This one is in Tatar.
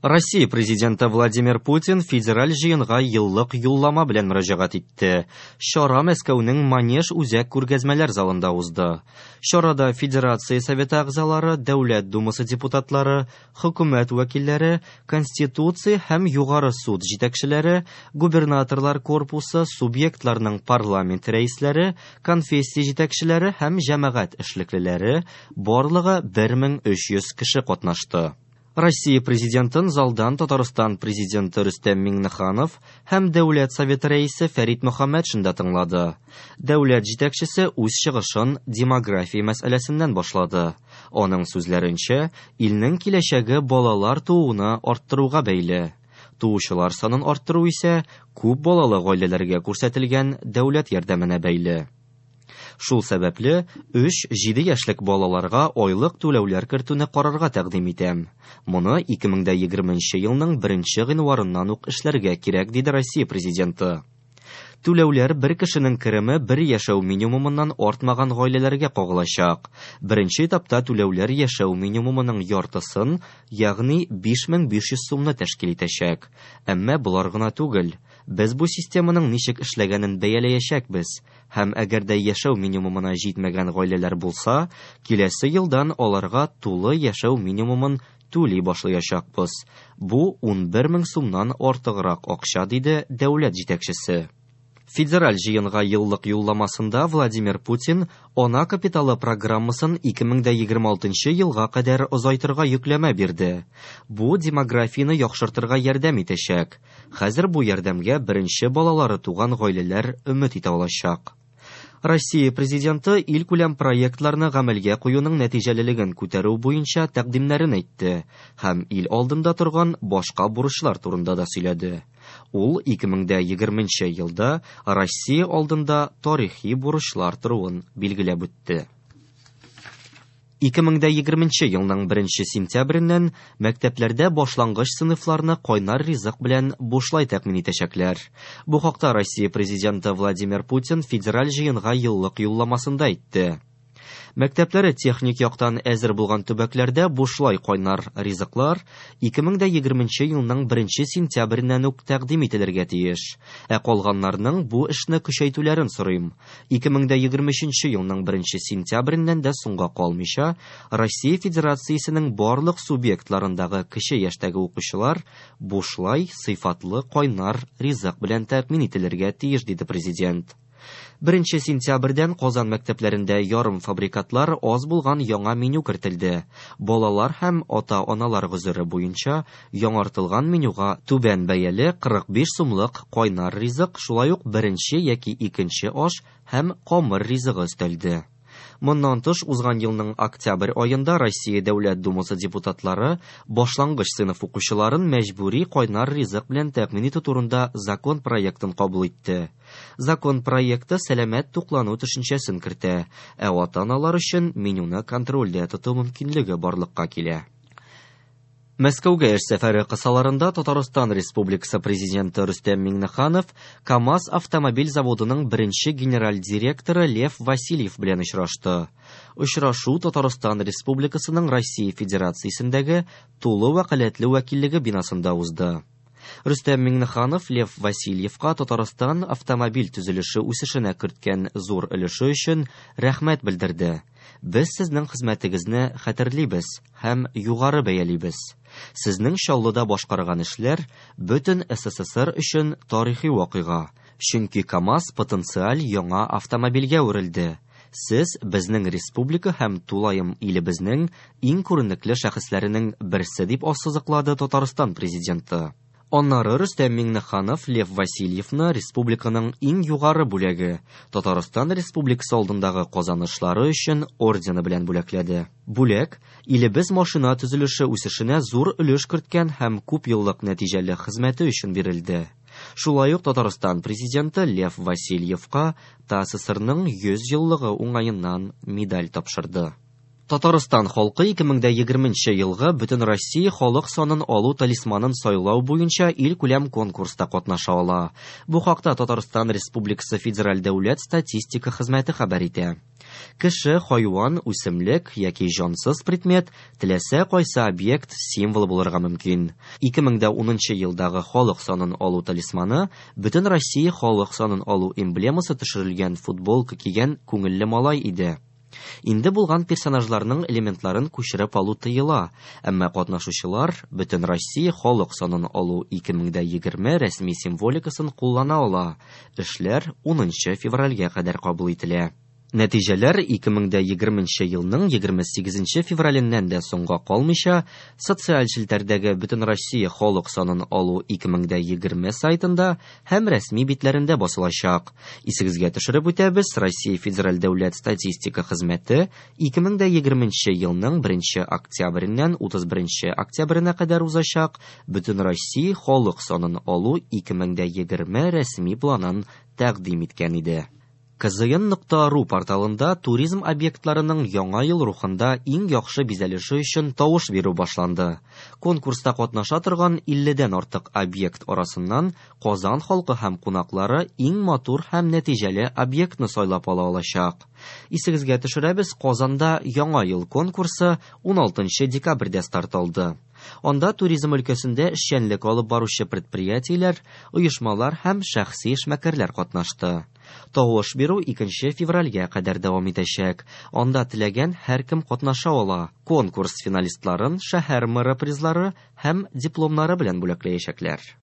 Россия Президенты Владимир Путин федераль җыенга еллык юллама белән мөрәҗәгать итте. Чара Мәскәүнең Манеж үзәк күргәзмәләр залында узды. Чарада Федерация Советы әгъзалары, Дәүләт Думасы депутатлары, хөкүмәт вәкилләре, Конституция һәм Югары суд җитәкчеләре, губернаторлар корпусы, субъектларның парламент рәисләре, конфессия җитәкчеләре һәм җәмәгать эшлеклеләре, барлыгы 1300 кеше катнашты. Россия Президентын залдан Татарстан Президенты Рөстәм Миңнеханов һәм Дәүләт Советы рәисе Фәрит Мөхәммәтшин дә тыңлады. Дәүләт җитәкчесе үз чыгышын демография мәсьәләсеннән башлады. Аның сүзләренчә, илнең киләчәге балалар тууны арттыруга бәйле. Туучылар санын арттыру исә күп балалы гаиләләргә күрсәтелгән дәүләт ярдәменә бәйле. Шул сәбәпле, 3-7 яшьлек балаларга айлык түләүләр кертүне карарга тәкъдим итәм. Моны 2020 елның 1 гыйнварыннан ук эшләргә кирәк, диде Россия Президенты. Түләүләр бер кешенең кереме бер яшәү минимумыннан артмаган гаиләләргә кагылачак. Беренче этапта түләүләр яшәү минимумының яртысын, ягъни 5500 сумны тәшкил итәчәк. Әмма болар гына түгел. Без бу системаның ничек эшләгәнен бәяләячәкбез һәм әгәр дә яшәү минимумына җитмәгән гаиләләр булса, киләсе елдан аларга тулы яшәү минимумын түли башлаячакбыз. Бу 11 мең сумнан артыграк акча, диде дәүләт җитәкчесе. Федераль җыенга еллык юлламасында Владимир Путин ана капиталы программасын 2026 елга кадәр озайтырга йөкләмә бирде. Бу демографияне яхшыртырга ярдәм итәчәк. Хәзер бу ярдәмгә беренче балалары туган гаиләләр өмет итә алачак. Россия Президенты илкүләм проектларны гамәлгә куюның нәтиҗәлелеген күтәрү буенча тәкъдимнәрен әйтте һәм ил алдында торган башка бурычлар турында да сөйләде. Ул 2020 елда Россия алдында тарихи бурычлар торуын билгеләп үтте. 2020 елның 1 сентябреннән мәктәпләрдә башлангыч сыйныфларны кайнар ризык белән бушлай тәэмин итәчәкләр. Бу хакта Россия Президенты Владимир Путин федераль җыенга еллык юлламасында әйтте. Мәктәпләре техник яктан әзер булган төбәкләрдә бушлай кайнар ризыклар 2020 елның 1 сентябреннән үк тәкъдим ителергә тиеш. Ә калганнарның бу эшне көчәйтүләрен сорыйм. 2023 елның 1 сентябреннән дә соңга калмыйча, Россия Федерациясенең барлык субъектларындагы кече яшьтәге укучылар бушлай сыйфатлы кайнар ризык белән тәэмин ителергә тиеш, диде президент. 1 сентябрьдән Казан мәктәпләрендә ярым фабрикатлар аз булган яңа меню кертелде. Балалар һәм ата-аналар гозере буенча яңартылган менюга түбән бәяле 45 сумлык кайнар ризык, шулай ук беренче яки икенче аш һәм камыр ризыгы өстәлде. Моннан тыш, узган елның октябрь аенда Россия Дәүләт Думасы депутатлары башлангыч сыйныф укучыларын мәҗбүри кайнар ризык белән тәэмин итү турында закон проектын кабул итте. Закон проекты сәламәт туклану төшенчәсен кертә, ә ата-аналар өчен менюны контрольдә тоту мөмкинлеге барлыкка килә. Мәскәүгә эш сәфәре кысаларында Татарстан Республикасы Президенты Рөстәм Миңнеханов КАМАЗ автомобиль заводының беренче генераль директоры Лев Васильев белән очрашты. Очрашу Татарстан Республикасының Россия Федерациясендәге тулы вәкаләтле вәкиллеге бинасында узды. Рөстәм Миңнеханов Лев Васильевка Татарстан автомобиль төзелеше үсешенә керткән зур өлеше өчен рәхмәт белдерде. Без сезнең хезмәтегезне хәтерлибез һәм югары бәялибез. Сезнең Чаллыда башкарган эшләр бөтен СССР өчен тарихи вакыйга, чөнки КАМАЗ потенциаль яңа автомобильгә әверелде. Сез безнең республика һәм тулаем илебезнең иң күренекле шәхесләренең берсе, дип ассызыклады Татарстан президенты. Аннары Рөстәм Миңнеханов Лев Васильевны республиканың иң югары бүләге Татарстан Республикасы алдындагы казанышлары өчен ордены белән бүләкләде. Бүләк илебез машина төзелеше үсешенә зур өлеш керткән һәм күп еллык нәтиҗәле хезмәте өчен бирелде. Шулай ук Татарстан президенты Лев Васильевка ТАССРның 100 еллыгы уңаеннан медаль тапшырды. Татарстан халкы 2020 елгы Бөтенроссия халык санын алу талисманын сайлау буенча илкүләм конкурста катнаша ала. Бу хакта Татарстан Республикасы Федераль дәүләт статистика хезмәте хәбәр итә. Кеше, хайван, үсемлек яки җансыз предмет, теләсә кайсы объект символы булырга мөмкин. 2010 елдагы халык санын алу талисманы Бөтенроссия халык санын алу эмблемасы төшерелгән футболка кигән күңелле малай иде. Инде булган персонажларның элементларын күчереп алу тыела, әмма катнашучылар Бөтенроссия халык санын алу 2020 рәсми символикасын куллана ала. Эшләр 10 февральгә кадәр кабул ителә. Нәтиҗәләр 2020 елның 28 февраленнән дә соңга калмыйча социаль челтәрдәге Бөтенроссия халык санын алу 2020 сайтында һәм рәсми битләрендә басылачак. Исегезгә төшереп үтәбез, Россия Федераль дәүләт статистика хезмәте 2020 елның 1 октябреннән 31 октябренә кадәр узачак Бөтенроссия халык санын алу 2020 рәсми планын тәкъдим иткән иде. kzn.ru порталында туризм объектларының яңа ел рухында иң яхшы бизәлеше өчен тавыш бирү башланды. Конкурста катнаша торган 50дән артык объект арасыннан Казан халкы һәм кунаклары иң матур һәм нәтиҗәле объектны сайлап ала алачак. Исегезгә төшерәбез, Казанда яңа ел конкурсы 16 декабрьдә старт алды. Анда туризм өлкәсендә эшчәнлек алып баручы предприятиеләр, оешмалар һәм шәхси эшмәкәрләр катнашты. Тавыш бирү 2 февральгә кадәр дәвам итәчәк. Анда теләгән һәркем катнаша ала. Конкурс финалистларын шәһәр мэры призлары һәм дипломнары белән бүләкләячәкләр.